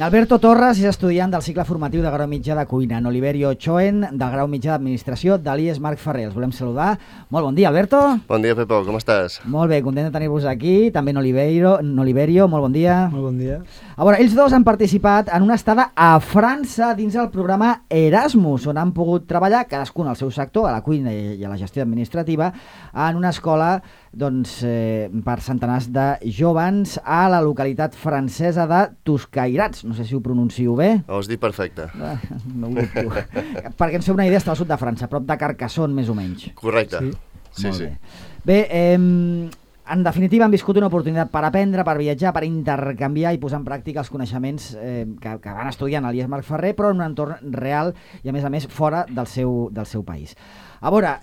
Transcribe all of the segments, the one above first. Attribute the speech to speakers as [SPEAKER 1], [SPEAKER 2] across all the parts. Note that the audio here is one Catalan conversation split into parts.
[SPEAKER 1] Alberto Torres és estudiant del cicle formatiu de grau mitjà de cuina. En Oliverio Choen, del grau mitjà d'administració de l'IES Marc Ferrer. Els volem saludar. Molt bon dia, Alberto.
[SPEAKER 2] Bon dia, Pepo, com estàs?
[SPEAKER 1] Molt bé, content de tenir-vos aquí. També en Oliverio, molt bon dia.
[SPEAKER 3] Molt bon dia.
[SPEAKER 1] A veure, ells dos han participat en una estada a França dins el programa Erasmus, on han pogut treballar, cadascun al seu sector, a la cuina i a la gestió administrativa, en una escola per centenars de jóvens a la localitat francesa de Tuscairats. No sé si ho pronuncio bé.
[SPEAKER 2] Ho has dit perfecte.
[SPEAKER 1] No ho dubto. Perquè ens feu una idea, està al sud de França, prop de Carcassonne, més o menys.
[SPEAKER 2] Correcte.
[SPEAKER 1] Sí. Bé, en definitiva han viscut una oportunitat per aprendre, per viatjar, per intercanviar i posar en pràctica els coneixements que van estudiar a l'IES Marc Ferrer, però en un entorn real i a més fora del seu país. A veure,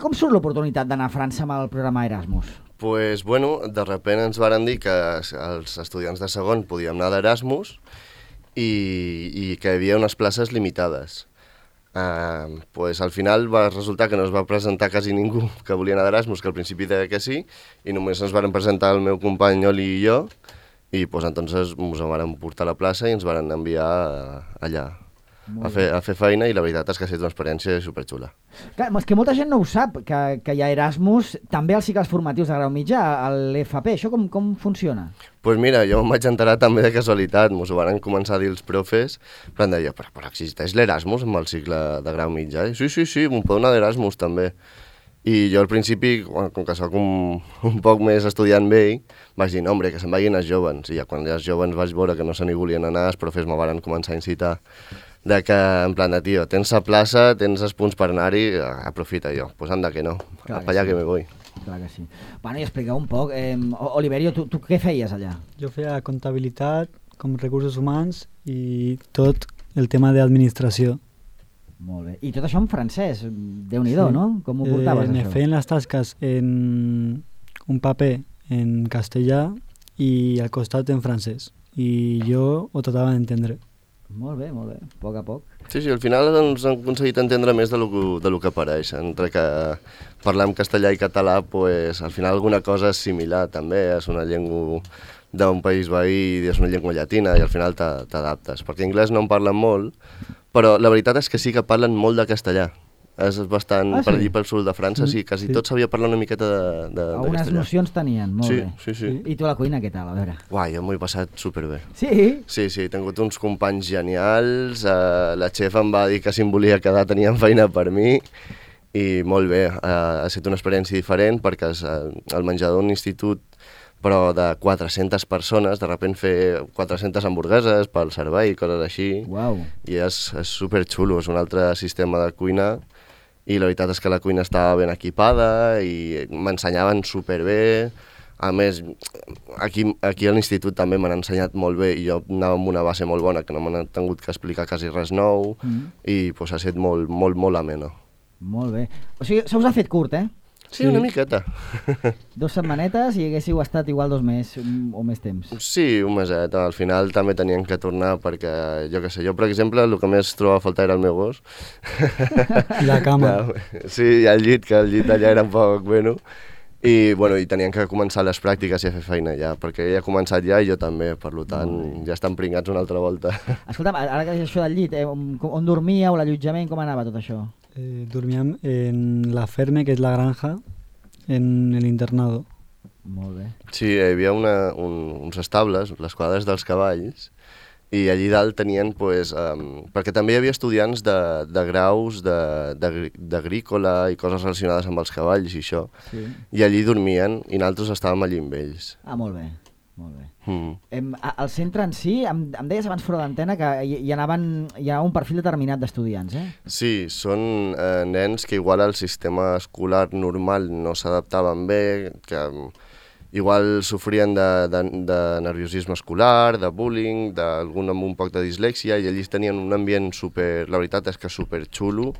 [SPEAKER 1] com surt l'oportunitat d'anar a França amb el programa Erasmus?
[SPEAKER 2] Pues, bueno, de sobte ens varen dir que els estudiants de segon podíem anar d'Erasmus i que hi havia unes places limitades. Pues, al final va resultar que no es va presentar quasi ningú que volia anar d'Erasmus, que al principi deia que sí, i només ens varen presentar el meu company Oli i jo, i pues, entonces ens van portar a la plaça i ens van enviar allà a fer feina, i la veritat és que ha estat una experiència superxula.
[SPEAKER 1] Clar, és que molta gent no ho sap, que hi ha Erasmus també als cicles formatius de grau mitjà, a l'FP. Això com funciona?
[SPEAKER 2] Pues mira, jo em vaig enterar també de casualitat, ens ho van començar a dir els profes, però em deia, però existeix l'Erasmus amb el cicle de grau mitjà? I sí, m'ho pot anar d'Erasmus també. I jo al principi, com que soc un poc més estudiant vell, vaig dir, no, hombre, que se'n vagin els jóvens. I ja quan els jóvens vaig veure que no se n'hi volien anar, els profes me van començar a incitar de que, en plan de, tio, tens la plaça, tens els punts per anar-hi, aprofita jo. Pues anda que no, per allà que me voy.
[SPEAKER 1] Clar que sí. Bueno, i expliqueu un poc. Oliverio, tu què feies allà?
[SPEAKER 3] Jo feia comptabilitat, com recursos humans i tot el tema d'administració.
[SPEAKER 1] Molt bé. I tot això en francès, Déu-n'hi-do, sí. No? Com ho portaves,
[SPEAKER 3] me
[SPEAKER 1] això?
[SPEAKER 3] feien les tasques en un paper en castellà i al costat en francès. I jo ho tratava d'entendre.
[SPEAKER 1] Molt bé, a poc a poc.
[SPEAKER 2] Sí, al final ens han aconseguit entendre més de lo que apareix. Entre que parlar en castellà i català, pues, al final alguna cosa és similar també, és una llengua d'un país veí, és una llengua llatina i al final t'adaptes. Perquè anglès no en parlen molt, però la veritat és que sí que parlen molt de castellà. És bastant, per allí pel sud de França, sí, quasi tot sabia parlar una miqueta de
[SPEAKER 1] algunes
[SPEAKER 2] castellà.
[SPEAKER 1] Nocions tenien, molt bé.
[SPEAKER 2] Sí.
[SPEAKER 1] I tu a la cuina, què tal? A veure.
[SPEAKER 2] Uai, jo m'ho he passat superbé.
[SPEAKER 1] Sí?
[SPEAKER 2] Sí, he tingut uns companys genials, la xef em va dir que si em volia quedar tenien feina per mi, i molt bé, ha estat una experiència diferent perquè el menjador d'un institut però de 400 persones, de sobte fer 400 hamburgueses pel servei, coses així.
[SPEAKER 1] Uau.
[SPEAKER 2] I és superxulo, és un altre sistema de cuina, i la veritat és que la cuina estava ben equipada i m'ensenyaven superbé. A més, aquí a l'institut també m'han ensenyat molt bé i jo anava amb una base molt bona, que no m'han tingut que explicar quasi res nou, i pues, ha estat molt ameno.
[SPEAKER 1] Molt bé. O sigui, se us ha fet curt, eh?
[SPEAKER 2] Sí, una miqueta.
[SPEAKER 1] 2 setmanetes i haguéssiu estat igual 2 mesos o més temps.
[SPEAKER 2] Sí, un meset. Al final també tenien que tornar perquè, jo què sé, jo per exemple el que més trobava a faltar era el meu gos.
[SPEAKER 3] I la cama.
[SPEAKER 2] Sí, i el llit, que el llit allà era un poc bueno. I tenien que començar les pràctiques i a fer feina ja, perquè ella ha començat ja i jo també, per tant ja estan pringats una altra volta.
[SPEAKER 1] Escolta'm, ara que és això del llit, on dormíeu, l'allotjament, com anava tot això?
[SPEAKER 3] Dormíem en la Ferme, que és la granja, en l'internado.
[SPEAKER 1] Molt bé.
[SPEAKER 2] Sí, hi havia uns estables, les quadres dels cavalls, i allí dalt tenien, perquè també hi havia estudiants de graus d'agrícola i coses relacionades amb els cavalls i això, i allí dormien i nosaltres estàvem allí amb ells.
[SPEAKER 1] Ah, molt bé. Al centre en si, em deies abans fora d'antena que hi ha un perfil determinat d'estudiants, eh?
[SPEAKER 2] Sí, són nens que igual al sistema escolar normal no s'adaptaven bé, que igual sofrien de nerviosisme escolar, de bullying, d'algun amb un poc de dislèxia, i ells tenien un ambient la veritat és que superxulo,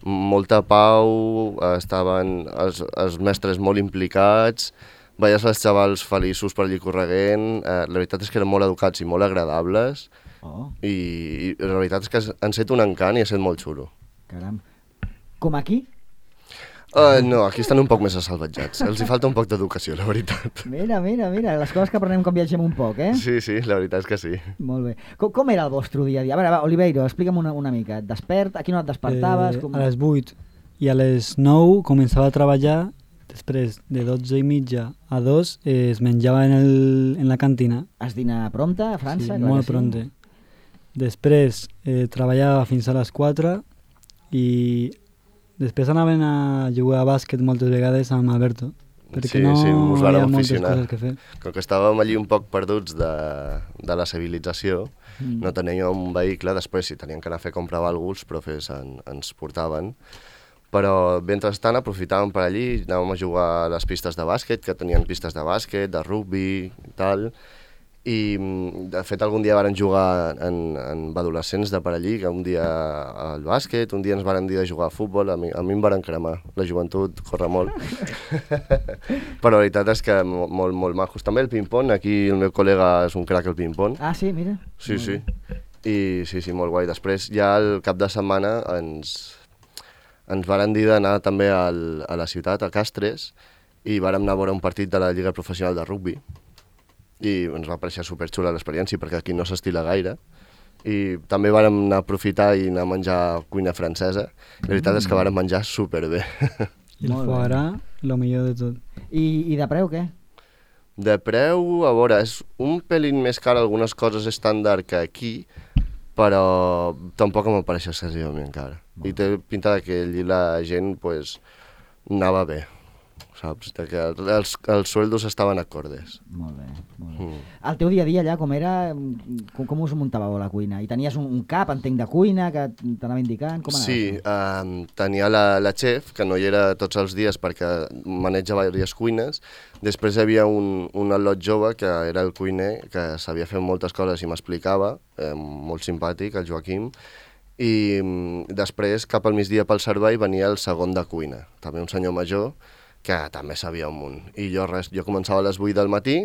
[SPEAKER 2] molta pau, estaven els mestres molt implicats, veies els xavals feliços per allí correguent, la veritat és que eren molt educats i molt agradables, i la veritat és que han set un encant i ha set molt xulo.
[SPEAKER 1] Caram. Com aquí?
[SPEAKER 2] No, aquí estan un poc més assalvatjats. Els hi falta un poc d'educació, la veritat.
[SPEAKER 1] Mira, les coses que aprenem quan viatgem un poc, eh?
[SPEAKER 2] Sí, la veritat és que sí.
[SPEAKER 1] Molt bé. Com era el vostre dia a dia? A veure, va, Oliveiro, explica'm una mica. Et despert? A quina hora et despertaves?
[SPEAKER 3] A les 8 i a les 9 començava a treballar. Després de 12:30 a 2 es menjava en la cantina.
[SPEAKER 1] Has dinar prompte a França?
[SPEAKER 3] Sí, molt prompte. Després treballava fins a les 4 i després anaven a jugar a bàsquet moltes vegades amb Alberto, perquè no hi havia moltes coses que fer.
[SPEAKER 2] Com que estàvem allí un poc perduts de la civilització, no teníem un vehicle, després si teníem que anar a fer comprar alguna cosa, els profes ens portaven, però mentrestant aprofitàvem per allí, anàvem a jugar a les pistes de bàsquet, que tenien pistes de bàsquet, de rugby i tal, i de fet algun dia varen jugar en adolescents de per allí, que un dia al bàsquet, un dia ens varen dir de jugar a futbol, a mi em varen cremar, la joventut corre molt. Però la veritat és que molt majos. També el ping-pong, aquí el meu col·lega és un crac al ping-pong.
[SPEAKER 1] Ah, sí, mira.
[SPEAKER 2] Sí. I sí, molt guai. Després ja el cap de setmana ens varen dir d'anar també a la ciutat, a Castres, i vàrem anar a veure un partit de la Lliga Professional de Rugby. I ens va pareixer superxula l'experiència perquè aquí no s'estila gaire i també vàrem anar a aprofitar i anar a menjar cuina francesa. La veritat és que vàrem menjar superbé.
[SPEAKER 3] I el foie gras, el millor de tot.
[SPEAKER 1] I de preu, què?
[SPEAKER 2] De preu, a veure, és un pelín més car algunes coses estàndard que aquí, però tampoc em pareix excessivament car. I té pinta que allí la gent pues, anava bé. Saps? Que els sueldos estaven acordes.
[SPEAKER 1] Molt bé. El teu dia a dia allà com era? Com us muntàveu a la cuina? I tenies un cap, entenc, de cuina que t'anava indicant? Com anava?
[SPEAKER 2] Sí, tenia la chef, que no hi era tots els dies perquè maneja diverses cuines. Després hi havia un al·lot jove, que era el cuiner, que sabia fer moltes coses i m'explicava, molt simpàtic, el Joaquim. I després, cap al migdia pel servei, venia el segon de cuina, també un senyor major, que també sabia un munt. I jo començava a les 8 del matí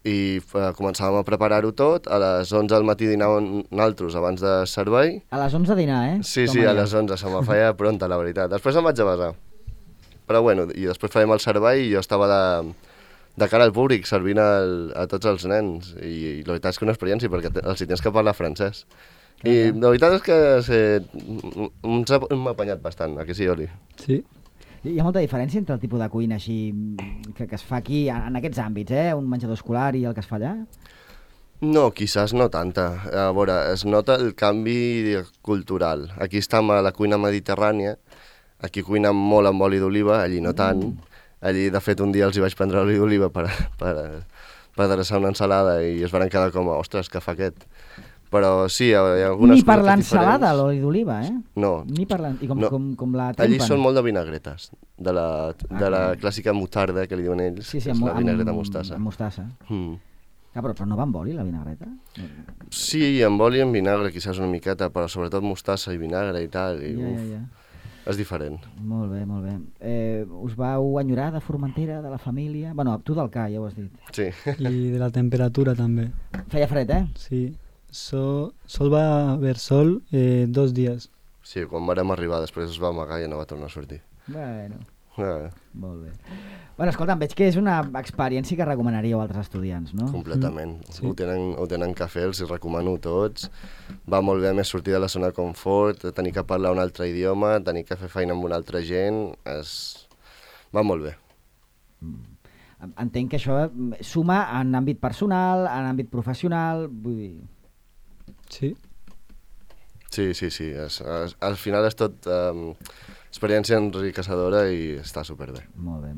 [SPEAKER 2] i començàvem a preparar-ho tot. A les 11 del matí dinàvem nosaltres abans de servei.
[SPEAKER 1] A les 11 dinar, eh?
[SPEAKER 2] Sí, a les 11, se me feia pronta, la veritat. Després em vaig a besar. Però bueno, i després fèiem el servei i jo estava de cara al públic servint a tots els nens. I la veritat és que una experiència, perquè els hi tens que parlar francès. I la veritat és que m'ha apanyat bastant, aquí sí, Oli?
[SPEAKER 3] Sí.
[SPEAKER 1] Hi ha molta diferència entre el tipus de cuina així que es fa aquí, en aquests àmbits, un menjador escolar i el que es fa allà?
[SPEAKER 2] No, quizás no tanta. A veure, es nota el canvi cultural. Aquí estem a la cuina mediterrània, aquí cuinem molt amb oli d'oliva, allí no tant. Allí, de fet, un dia els hi vaig prendre oli d'oliva per adreçar una ensalada i es van quedar com, ostres, què fa aquest? Però sí, hi ha algunes
[SPEAKER 1] ni per
[SPEAKER 2] coses
[SPEAKER 1] l'ensalada, l'oli d'oliva, eh?
[SPEAKER 2] No.
[SPEAKER 1] Ni per I com la trempen.
[SPEAKER 2] Allí són molt de vinagretes, de la clàssica mutarda que li diuen ells,
[SPEAKER 1] sí,
[SPEAKER 2] és la vinagreta mostassa.
[SPEAKER 1] Amb mostassa. Però no va amb oli, la vinagreta?
[SPEAKER 2] Sí, amb oli i amb vinagre, quizás una miqueta, però sobretot mostassa i vinagre i tal. És diferent.
[SPEAKER 1] Molt bé. Us vau enyorar de Formentera, de la família? Bueno, tu del CA, ja ho has dit.
[SPEAKER 2] Sí.
[SPEAKER 3] I de la temperatura també.
[SPEAKER 1] Feia fred, eh?
[SPEAKER 3] Sí. Sol va haver sol 2 dies.
[SPEAKER 2] Sí, quan vam arribar després es va amagar i no va tornar a sortir.
[SPEAKER 1] Bueno, molt bé. Bueno, escolta, veig que és una experiència que recomanaríeu a altres estudiants, no?
[SPEAKER 2] Completament.
[SPEAKER 3] Sí.
[SPEAKER 2] Ho tenen que fer, els hi recomano a tots. Va molt bé més sortir de la zona de confort, tenir que parlar un altre idioma, tenir que fer feina amb una altra gent, va molt bé.
[SPEAKER 1] Entenc que això suma en àmbit personal, en àmbit professional, vull dir...
[SPEAKER 3] Sí.
[SPEAKER 2] Sí. Al final és tot experiència enriquecedora i està superbé.
[SPEAKER 1] Molt bé.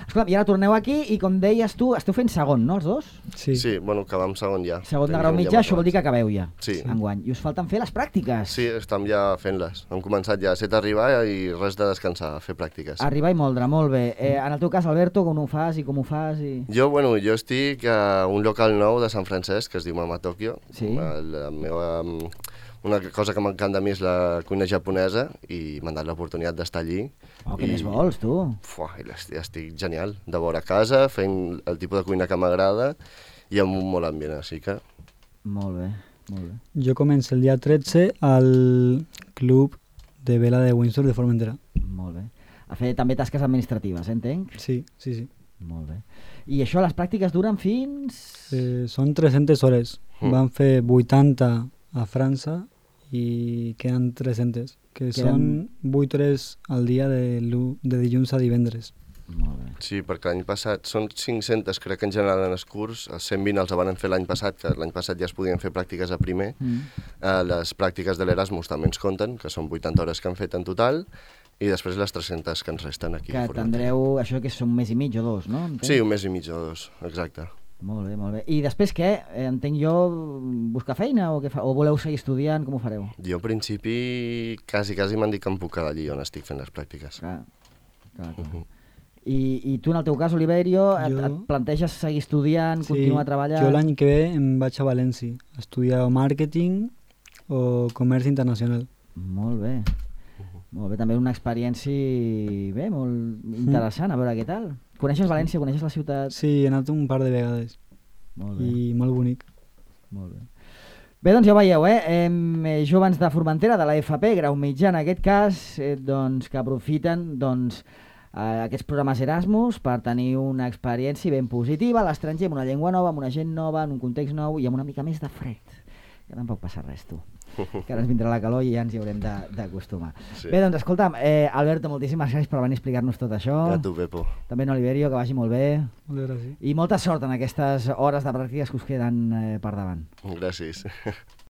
[SPEAKER 1] Escolta, i ara torneu aquí i com deies tu, esteu fent segon, no, els dos?
[SPEAKER 2] Sí, bueno, acabem segon ja.
[SPEAKER 1] Segon de grau mitjà, això vol dir que acabeu ja.
[SPEAKER 2] Sí.
[SPEAKER 1] Enguany. I us falten fer les pràctiques.
[SPEAKER 2] Sí, estem ja fent-les. Hem començat ja a set arribar i res de descansar, a fer pràctiques.
[SPEAKER 1] Arribar i moldre, molt bé. En el teu cas, Alberto, com ho fas i com ho fas?
[SPEAKER 2] Jo estic a un local nou de Sant Francesc, que es diu Mama Tokyo. Sí. Una cosa que m'encanta a mi és la cuina japonesa i m'han dat l'oportunitat d'estar allí.
[SPEAKER 1] Què més vols, tu?
[SPEAKER 2] Estic genial, de veure a casa, fent el tipus de cuina que m'agrada i amb un molt ambient, així que...
[SPEAKER 1] Molt bé.
[SPEAKER 3] Jo començo el dia 13 al club de vela de Windsor de Formentera.
[SPEAKER 1] Molt bé. A fer també tasques administratives, entenc?
[SPEAKER 3] Sí, sí, sí.
[SPEAKER 1] Molt bé. I això, les pràctiques duren fins...
[SPEAKER 3] Són 300 hores. Van fer 80 a França i queden 300, que són 8 hores al dia de dilluns a divendres.
[SPEAKER 1] Molt bé.
[SPEAKER 2] Sí, perquè l'any passat són 500, crec que en general en els curs, els 120 els van fer l'any passat, que l'any passat ja es podien fer pràctiques a primer. Les pràctiques de l'Erasmus també ens compten, que són 80 hores que han fet en total, i després les 300 que ens resten aquí.
[SPEAKER 1] Que tindreu, això que és un mes i mig o dos, no?
[SPEAKER 2] Sí, un mes i mig o dos, exacte.
[SPEAKER 1] Molt bé, molt bé. I després què? Entenc jo, buscar feina o què fa? O voleu seguir estudiant? Com ho fareu?
[SPEAKER 2] Jo, al principi, quasi m'han dit que em puc quedar allí on estic fent les pràctiques.
[SPEAKER 1] Clar. I tu, en el teu cas, Oliverio, et planteges seguir estudiant, continuar treballant?
[SPEAKER 3] Jo l'any que ve em vaig a València a estudiar màrqueting o comerç internacional.
[SPEAKER 1] Molt bé. Molt bé, també una experiència molt interessant, a veure què tal. Coneixes València, coneixes la ciutat?
[SPEAKER 3] Sí, he anat un par de vegades.
[SPEAKER 1] Molt bé.
[SPEAKER 3] I molt bonic.
[SPEAKER 1] Molt bé. Bé, doncs ja ho veieu, joves de Formentera, de la FP, grau mitjà en aquest cas, doncs, que aprofiten aquests programes Erasmus per tenir una experiència ben positiva a l'estranger, amb una llengua nova, amb una gent nova, en un context nou i amb una mica més de fred. Que tampoc passa res, tu. Que ara ens vindrà la calor i ja ens hi haurem d'acostumar. Sí. Bé, doncs escolta'm, Alberto, moltíssimes gràcies per venir a explicar-nos tot això.
[SPEAKER 2] A tu, Pepo.
[SPEAKER 1] També en Oliverio, que vagi molt bé.
[SPEAKER 3] Moltes gràcies.
[SPEAKER 1] I molta sort en aquestes hores de pràctiques que us queden per davant.
[SPEAKER 2] Gràcies.